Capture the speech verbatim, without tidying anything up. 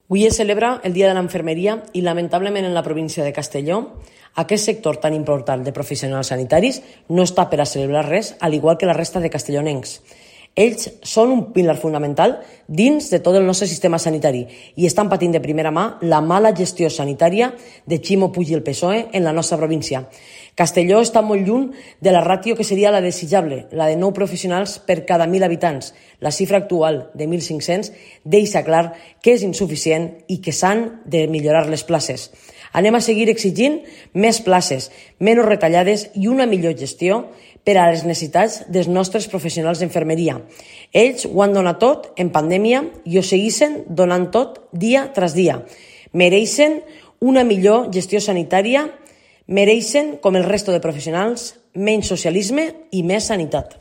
Avui es celebra el Dia de l'Infermeria i, lamentablement, en la província de Castelló, aquest sector tan important de professionals sanitaris no està per a celebrar res, al igual que la resta de castellonencs. Ells són un pilar fonamental dins de tot el nostre sistema sanitari i estan patint de primera mà la mala gestió sanitària de Ximo Puig i el P S O E en la nostra província. Castelló està molt lluny de la ràtio que seria la desitjable, la de nou professionals per cada mil habitants. La xifra actual de mil cinc-cents deixa clar que és insuficient i que s'han de millorar les places. Anem a seguir exigint més places, menys retallades i una millor gestió per a les necessitats dels nostres professionals d'infermeria. Ells ho han donat tot en pandèmia i ho segueixen donant tot dia tras dia. Mereixen una millor gestió sanitària, mereixen, com el resto de professionals, menys socialisme i més sanitat.